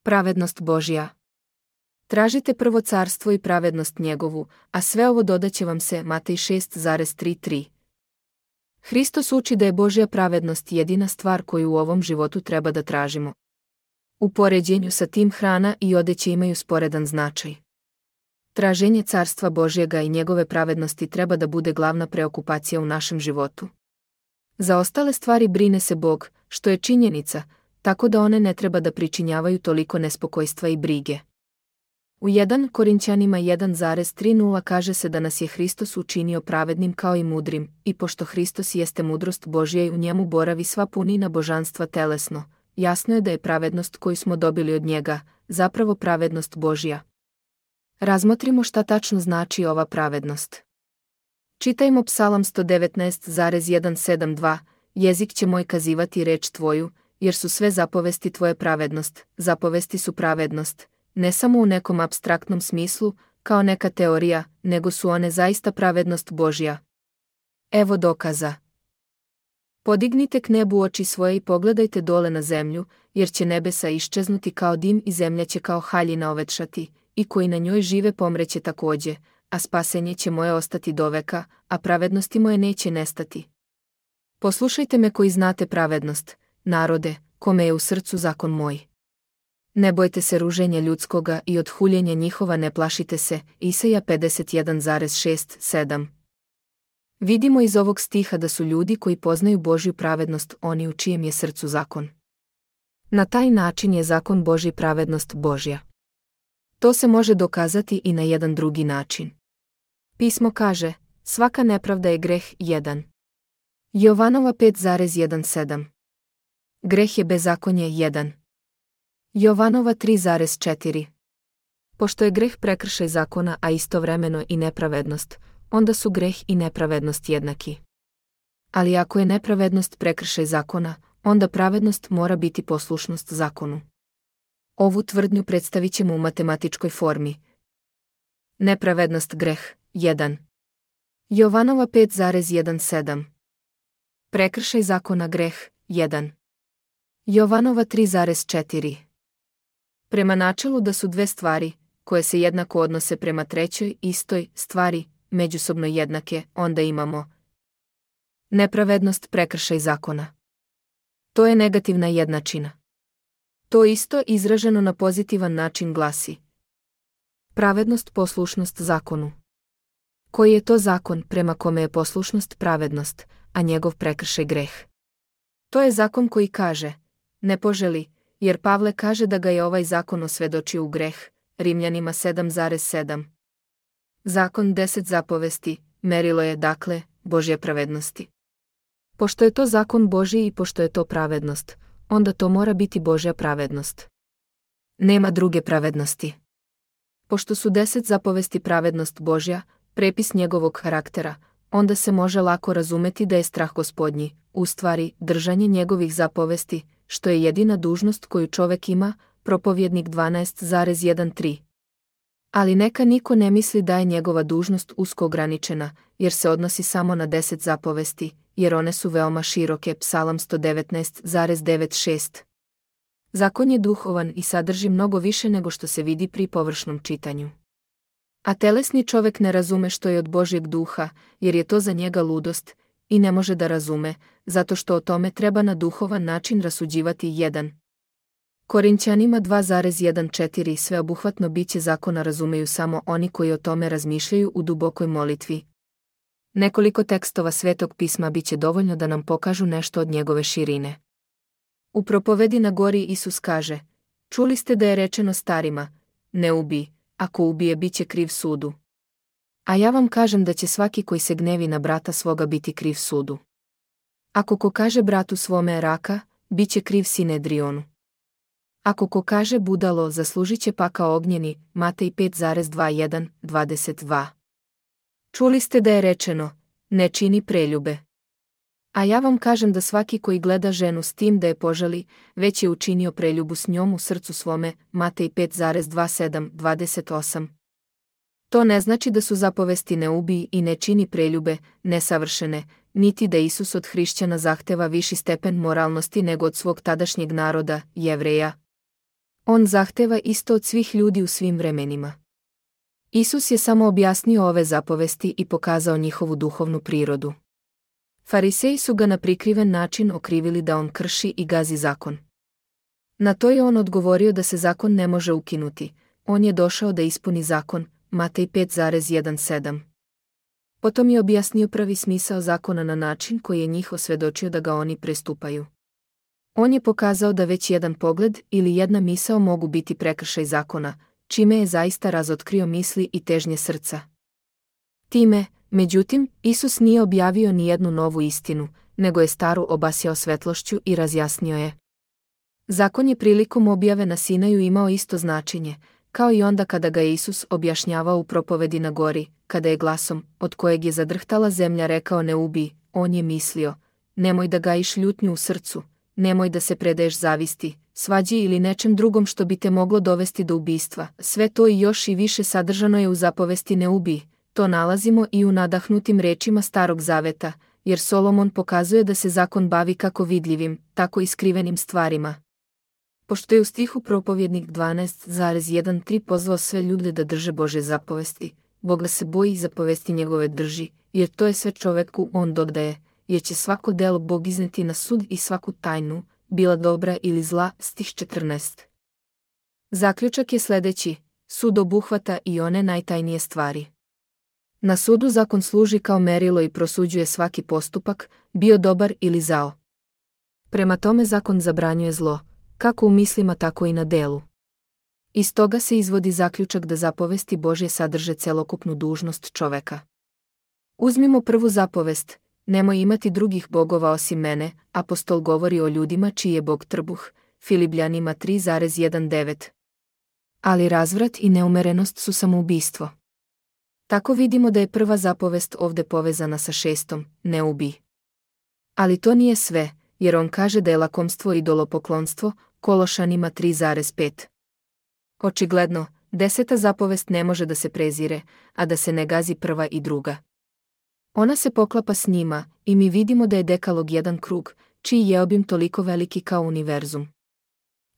Pravednost Božja. Tražite prvo carstvo i pravednost njegovu, a sve ovo dodaće vam se. Matej 6,33. Hristos uči da je Božja pravednost jedina stvar koju u ovom životu treba da tražimo. U poređenju sa tim hrana i odeće imaju sporedan značaj. Traženje carstva Božjega i njegove pravednosti treba da bude glavna preokupacija u našem životu. Za ostale stvari brine se Bog, što je činjenica, tako da one ne treba da pričinjavaju toliko nespokojstva i brige. U 1 Korinćanima 1,30 kaže se da nas je Hristos učinio pravednim kao i mudrim, i pošto Hristos jeste mudrost Božja i u njemu boravi sva punina božanstva telesno, jasno je da je pravednost koju smo dobili od njega, zapravo pravednost Božja. Razmotrimo šta tačno znači ova pravednost. Čitajmo Psalam 119,172, jezik će moj kazivati reč tvoju, jer su sve zapovesti tvoje pravednost, zapovesti su pravednost, ne samo u nekom apstraktnom smislu, kao neka teorija, nego su one zaista pravednost Božja. Evo dokaza. Podignite k nebu oči svoje i pogledajte dole na zemlju, jer će nebesa iščeznuti kao dim i zemlja će kao haljina ovetšati, i koji na njoj žive pomreće takođe, a spasenje će moje ostati doveka, a pravednosti moje neće nestati. Poslušajte me koji znate pravednost, narode, kome je u srcu zakon moj. Ne bojte se ruženja ljudskoga i od huljenja njihova ne plašite se. Isaija 51,6-7. Vidimo iz ovog stiha da su ljudi koji poznaju Božju pravednost oni u čijem je srcu zakon. Na taj način je zakon Božji pravednost Božja. To se može dokazati i na jedan drugi način. Pismo kaže, svaka nepravda je greh 1. Jovanova 5,17. Greh je bezakonje 1. Jovanova 3,4. Pošto je greh prekršaj zakona, a istovremeno i nepravednost, onda su greh i nepravednost jednaki. Ali ako je nepravednost prekršaj zakona, onda pravednost mora biti poslušnost zakonu. Ovu tvrdnju predstavit ćemo u matematičkoj formi. Nepravednost greh 1. Jovanova 5,17. Prekršaj zakona greh 1. Jovanova 3,4. Prema načelu da su dve stvari, koje se jednako odnose prema trećoj istoj stvari, međusobno jednake, onda imamo nepravednost prekršaj zakona. To je negativna jednačina. To isto izraženo na pozitivan način glasi pravednost poslušnost zakonu. Koji je to zakon prema kome je poslušnost pravednost, a njegov prekršaj greh? To je zakon koji kaže, ne poželi, jer Pavle kaže da ga je ovaj zakon osvedočio u greh, Rimljanima 7,7. Zakon 10 zapovesti, merilo je, dakle, Božje pravednosti. Pošto je to zakon Božji i pošto je to pravednost, onda to mora biti Božja pravednost. Nema druge pravednosti. Pošto su 10 zapovesti pravednost Božja, prepis njegovog karaktera, onda se može lako razumeti da je strah Gospodnji, u stvari, držanje njegovih zapovesti, što je jedina dužnost koju čovek ima, Propovjednik 12,13. Ali neka niko ne misli da je njegova dužnost usko ograničena, jer se odnosi samo na 10 zapovesti, jer one su veoma široke. Psalam 119,96. Zakon je duhovan i sadrži mnogo više nego što se vidi pri površnom čitanju. A telesni čovek ne razume što je od Božjeg duha, jer je to za njega ludost, i ne može da razume, zato što o tome treba na duhovan način rasuđivati 1. Korinćanima 2,14. Sveobuhvatno biće zakona razumeju samo oni koji o tome razmišljaju u dubokoj molitvi. Nekoliko tekstova Svetog pisma biće dovoljno da nam pokažu nešto od njegove širine. U propovedi na gori Isus kaže, čuli ste da je rečeno starima, ne ubij, ako ubije biće kriv sudu. A ja vam kažem da će svaki koji se gnevi na brata svoga biti kriv sudu. Ako ko kaže bratu svome raka, bit će kriv Sinedrionu. Ako ko kaže budalo, zaslužit će pakao ognjeni. Matej 5,21-22. Čuli ste da je rečeno, ne čini preljube. A ja vam kažem da svaki koji gleda ženu s tim da je požali, već je učinio preljubu s njom u srcu svome. Matej 5,27-28. To ne znači da su zapovesti ne ubij i ne čini preljube, nesavršene, niti da Isus od hrišćana zahteva viši stepen moralnosti nego od svog tadašnjeg naroda, Jevreja. On zahteva isto od svih ljudi u svim vremenima. Isus je samo objasnio ove zapovesti i pokazao njihovu duhovnu prirodu. Fariseji su ga na prikriven način okrivili da on krši i gazi zakon. Na to je on odgovorio da se zakon ne može ukinuti, on je došao da ispuni zakon, Matej 5,17. Potom je objasnio pravi smisao zakona na način koji je njih osvjedočio da ga oni prestupaju. On je pokazao da već jedan pogled ili jedna misao mogu biti prekršaj zakona, čime je zaista razotkrio misli i težnje srca. Time, međutim, Isus nije objavio ni jednu novu istinu, nego je staru obasjao svetlošću i razjasnio je. Zakon je prilikom objave na Sinaju imao isto značenje, kao i onda kada ga je Isus objašnjavao u propovedi na gori, kada je glasom, od kojeg je zadrhtala zemlja, rekao ne ubij, on je mislio, nemoj da gajiš ljutnju u srcu, nemoj da se predaješ zavisti, svađi ili nečem drugom što bi te moglo dovesti do ubistva. Sve to i još i više sadržano je u zapovesti ne ubij. To nalazimo i u nadahnutim rečima Starog zaveta, jer Solomon pokazuje da se zakon bavi kako vidljivim, tako i skrivenim stvarima. Pošto je u stihu propovjednik 12,13 pozvao sve ljude da drže Božje zapovesti, Boga se boji i zapovesti njegove drži, jer to je sve čoveku on dodaje, jer će svako delo Bog izneti na sud i svaku tajnu, bila dobra ili zla, stih 14. Zaključak je sljedeći, sud obuhvata i one najtajnije stvari. Na sudu zakon služi kao merilo i prosuđuje svaki postupak, bio dobar ili zao. Prema tome zakon zabranjuje zlo, kako u mislima tako i na delu. Iz toga se izvodi zaključak da zapovesti Božje sadrže celokupnu dužnost čoveka. Uzmimo prvu zapovest, nemoj imati drugih bogova osim mene, apostol govori o ljudima čiji je Bog trbuh, Filipljanima 3,19. Ali razvrat i neumerenost su samoubistvo. Tako vidimo da je prva zapovest ovdje povezana sa 6. ne ubij. Ali to nije sve, jer on kaže da je lakomstvo idolopoklonstvo, Kološanima 3,5. Očigledno, 10. zapovest ne može da se prezire, a da se ne gazi prva i druga. Ona se poklapa s njima i mi vidimo da je dekalog jedan krug, čiji je obim toliko veliki kao univerzum.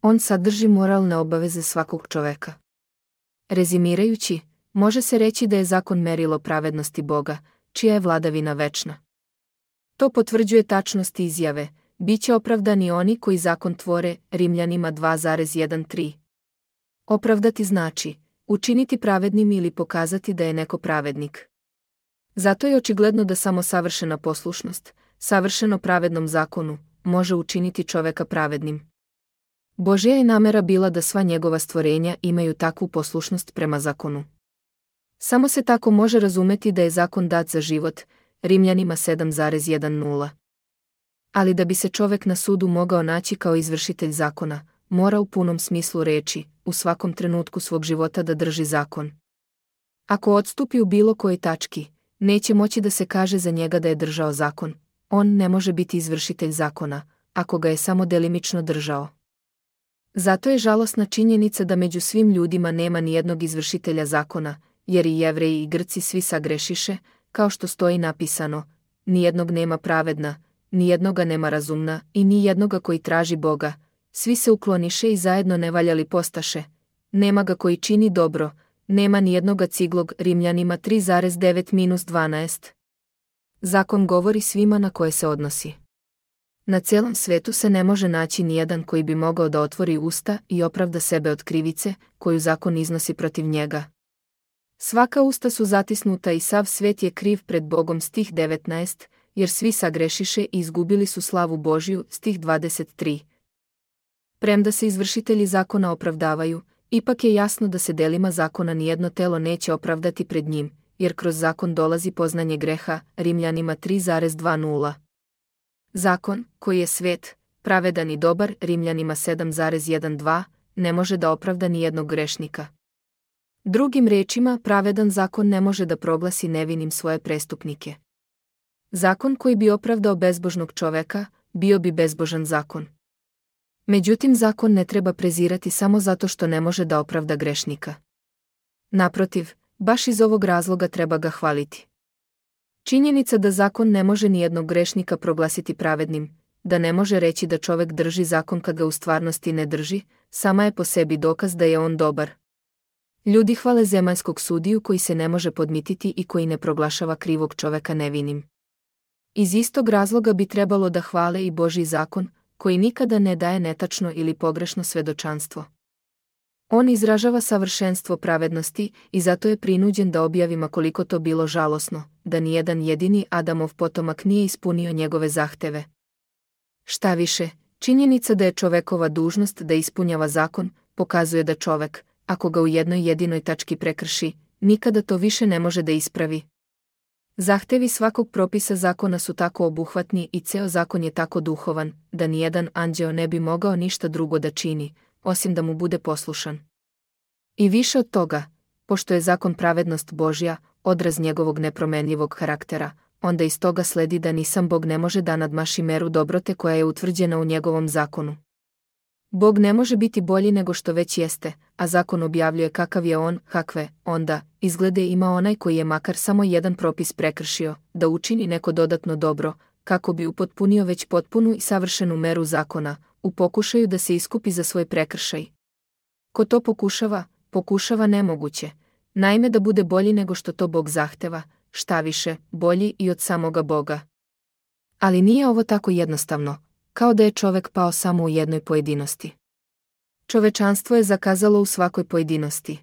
On sadrži moralne obaveze svakog čoveka. Rezimirajući, može se reći da je zakon merilo pravednosti Boga, čija je vladavina večna. To potvrđuje tačnost izjave, bit će opravdani oni koji zakon tvore, Rimljanima 2,13. Opravdati znači, učiniti pravednim ili pokazati da je neko pravednik. Zato je očigledno da samo savršena poslušnost, savršeno pravednom zakonu, može učiniti čoveka pravednim. Božja je namera bila da sva njegova stvorenja imaju takvu poslušnost prema zakonu. Samo se tako može razumeti da je zakon dat za život, Rimljanima 7,10. Ali da bi se čovek na sudu mogao naći kao izvršitelj zakona, mora u punom smislu reči, u svakom trenutku svog života da drži zakon. Ako odstupi u bilo kojoj tački, neće moći da se kaže za njega da je držao zakon, on ne može biti izvršitelj zakona, ako ga je samo delimično držao. Zato je žalosna činjenica da među svim ljudima nema ni jednog izvršitelja zakona, jer i Jevreji i Grci svi sagrešiše, kao što stoji napisano, nijednog nema pravedna, nijednoga nema razumna i nijednoga koji traži Boga, svi se ukloniše i zajedno nevaljali postaše, nema ga koji čini dobro, nema nijednoga ciglog, Rimljanima 3,9-12. Zakon govori svima na koje se odnosi. Na celom svetu se ne može naći nijedan koji bi mogao da otvori usta i opravda sebe od krivice, koju zakon iznosi protiv njega. Svaka usta su zatisnuta i sav svet je kriv pred Bogom, stih 19, jer svi sagrešiše i izgubili su slavu Božju, stih 23. Premda se izvršitelji zakona opravdavaju, ipak je jasno da se delima zakona nijedno telo neće opravdati pred njim, jer kroz zakon dolazi poznanje greha, Rimljanima 3,20. Zakon, koji je svet, pravedan i dobar, Rimljanima 7,12, ne može da opravda nijednog grešnika. Drugim rečima, pravedan zakon ne može da proglasi nevinim svoje prestupnike. Zakon koji bi opravdao bezbožnog čoveka, bio bi bezbožan zakon. Međutim, zakon ne treba prezirati samo zato što ne može da opravda grešnika. Naprotiv, baš iz ovog razloga treba ga hvaliti. Činjenica da zakon ne može nijednog grešnika proglasiti pravednim, da ne može reći da čovek drži zakon kad ga u stvarnosti ne drži, sama je po sebi dokaz da je on dobar. Ljudi hvale zemaljskog sudiju koji se ne može podmititi i koji ne proglašava krivog čoveka nevinim. Iz istog razloga bi trebalo da hvale i Božji zakon, koji nikada ne daje netačno ili pogrešno svedočanstvo. On izražava savršenstvo pravednosti i zato je prinuđen da objavi ma koliko to bilo žalosno, da nijedan jedini Adamov potomak nije ispunio njegove zahteve. Šta više, činjenica da je čovekova dužnost da ispunjava zakon, pokazuje da čovek, ako ga u jednoj jedinoj tački prekrši, nikada to više ne može da ispravi. Zahtevi svakog propisa zakona su tako obuhvatni i ceo zakon je tako duhovan, da nijedan anđeo ne bi mogao ništa drugo da čini, osim da mu bude poslušan. I više od toga, pošto je zakon pravednost Božja, odraz njegovog nepromenljivog karaktera, onda iz toga sledi da ni sam Bog ne može da nadmaši meru dobrote koja je utvrđena u njegovom zakonu. Bog ne može biti bolji nego što već jeste, a zakon objavljuje kakav je on, kakve, onda, izglede ima onaj koji je makar samo jedan propis prekršio, da učini neko dodatno dobro, kako bi upotpunio već potpunu i savršenu meru zakona, u pokušaju da se iskupi za svoj prekršaj. Ko to pokušava nemoguće, naime da bude bolji nego što to Bog zahteva, šta više, bolji i od samoga Boga. Ali nije ovo tako jednostavno, kao da je čovek pao samo u jednoj pojedinosti. Čovečanstvo je zakazalo u svakoj pojedinosti.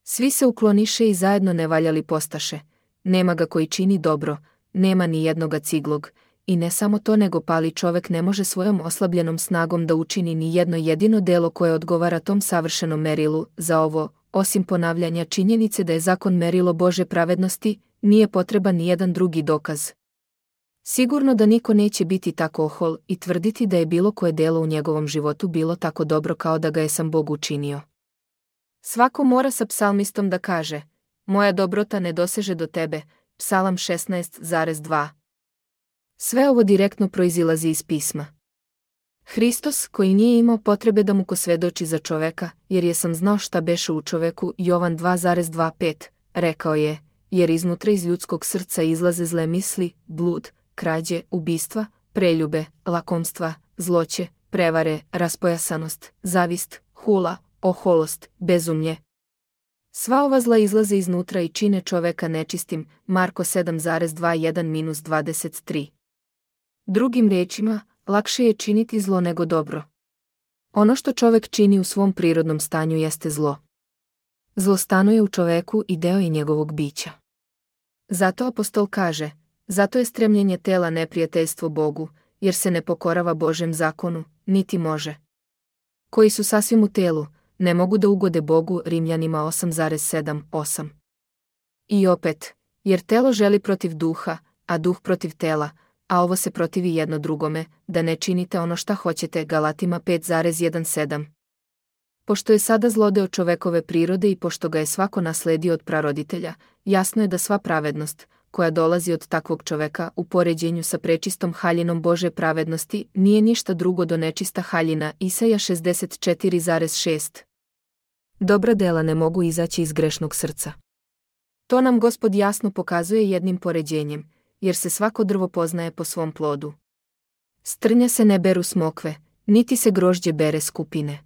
Svi se ukloniše i zajedno nevaljali postaše, nema ga koji čini dobro, nema ni jednoga ciglog, i ne samo to nego pali čovek ne može svojom oslabljenom snagom da učini ni jedno jedino delo koje odgovara tom savršenom merilu. Za ovo, osim ponavljanja činjenice da je zakon merilo Božje pravednosti, nije potreban ni jedan drugi dokaz. Sigurno da niko neće biti tako ohol i tvrditi da je bilo koje delo u njegovom životu bilo tako dobro kao da ga je sam Bog učinio. Svako mora sa psalmistom da kaže: moja dobrota ne doseže do tebe, Psalam 16,2. Sve ovo direktno proizilazi iz pisma. Hristos, koji nije imao potrebe da mu ko svedoči za čoveka, jer je sam znao šta beše u čoveku, Jovan 2,25, rekao je: jer iznutra iz ljudskog srca izlaze zle misli, blud, krađe, ubistva, preljube, lakomstva, zloće, prevare, raspojasanost, zavist, hula, oholost, bezumlje. Sva ova zla izlaze iznutra i čine čoveka nečistim, Marko 7,21-23. Drugim riječima, lakše je činiti zlo nego dobro. Ono što čovek čini u svom prirodnom stanju jeste zlo. Zlo stanuje u čoveku i deo je njegovog bića. Zato apostol kaže: zato je stremljenje tela neprijateljstvo Bogu, jer se ne pokorava Božjem zakonu, niti može. Koji su sasvim u telu, ne mogu da ugode Bogu, Rimljanima 8,7-8. I opet, jer telo želi protiv duha, a duh protiv tela, a ovo se protivi jedno drugome, da ne činite ono šta hoćete, Galatima 5,17. Pošto je sada zlodeo čovekove prirode i pošto ga je svako nasledio od praroditelja, jasno je da sva pravednost, koja dolazi od takvog čoveka u poređenju sa prečistom haljinom Božje pravednosti, nije ništa drugo do nečista haljina, Isaja 64,6. Dobra dela ne mogu izaći iz grešnog srca. To nam Gospod jasno pokazuje jednim poređenjem, jer se svako drvo poznaje po svom plodu. S trnja se ne beru smokve, niti se grožđe bere s kupine.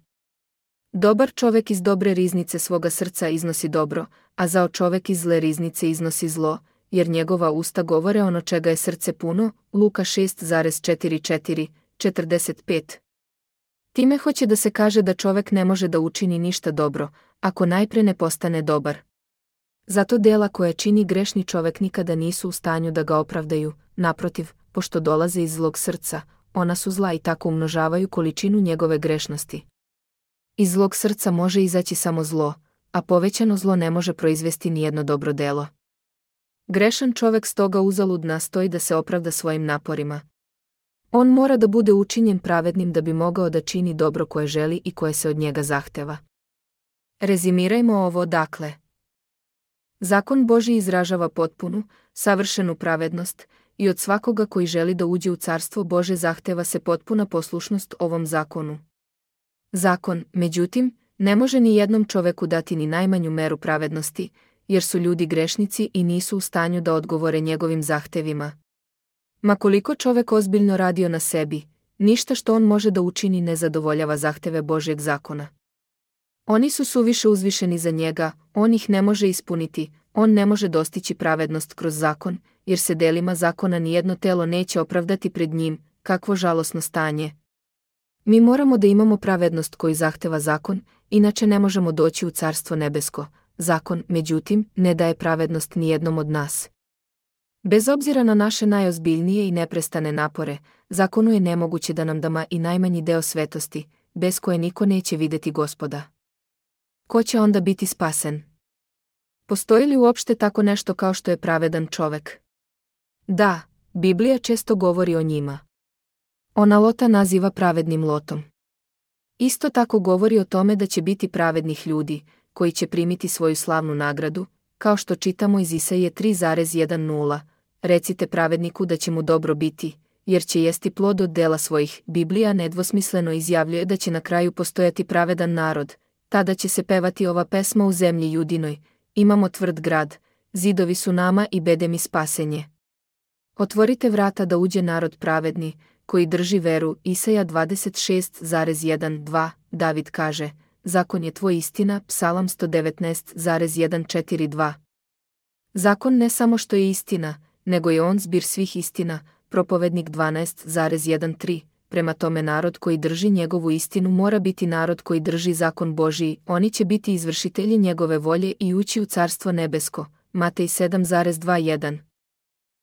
Dobar čovek iz dobre riznice svoga srca iznosi dobro, a zao čovek iz zle riznice iznosi zlo, jer njegova usta govore ono čega je srce puno, Luka 6,44-45. Time hoće da se kaže da čovek ne može da učini ništa dobro, ako najpre ne postane dobar. Zato dela koje čini grešni čovek nikada nisu u stanju da ga opravdaju, naprotiv, pošto dolaze iz zlog srca, ona su zla i tako umnožavaju količinu njegove grešnosti. Iz zlog srca može izaći samo zlo, a povećano zlo ne može proizvesti nijedno dobro delo. Grešan čovek stoga uzalud nastoji da se opravda svojim naporima. On mora da bude učinjen pravednim da bi mogao da čini dobro koje želi i koje se od njega zahteva. Rezimirajmo ovo dakle. Zakon Božji izražava potpunu, savršenu pravednost i od svakoga koji želi da uđe u carstvo Bože zahteva se potpuna poslušnost ovom zakonu. Zakon, međutim, ne može ni jednom čoveku dati ni najmanju meru pravednosti, jer su ljudi grešnici i nisu u stanju da odgovore njegovim zahtevima. Ma koliko čovek ozbiljno radio na sebi, ništa što on može da učini ne zadovoljava zahteve Božjeg zakona. Oni su suviše uzvišeni za njega, on ih ne može ispuniti, on ne može dostići pravednost kroz zakon, jer se delima zakona nijedno telo neće opravdati pred njim, kakvo žalosno stanje. Mi moramo da imamo pravednost koju zahteva zakon, inače ne možemo doći u Carstvo nebesko. Zakon, međutim, ne daje pravednost nijednom od nas. Bez obzira na naše najozbiljnije i neprestane napore, zakonu je nemoguće da nam da i najmanji deo svetosti, bez koje niko neće videti Gospoda. Ko će onda biti spasen? Postoji li uopšte tako nešto kao što je pravedan čovek? Da, Biblija često govori o njima. Ona Lota naziva pravednim Lotom. Isto tako govori o tome da će biti pravednih ljudi, koji će primiti svoju slavnu nagradu, kao što čitamo iz Isaije 3,10. Recite pravedniku da će mu dobro biti, jer će jesti plod od dela svojih. Biblija nedvosmisleno izjavljuje da će na kraju postojati pravedan narod, tada će se pevati ova pesma u zemlji Judinoj, imamo tvrd grad, zidovi su nama i bede mi spasenje. Otvorite vrata da uđe narod pravedni, koji drži veru. Isaja 26,1-2. David kaže, zakon je tvoj istina. Psalam 119,142. Zakon ne samo što je istina, nego je on zbir svih istina. Propovednik 12,13. Prema tome narod koji drži njegovu istinu mora biti narod koji drži zakon Božiji, oni će biti izvršitelji njegove volje i ući u Carstvo nebesko. Matej 7,21.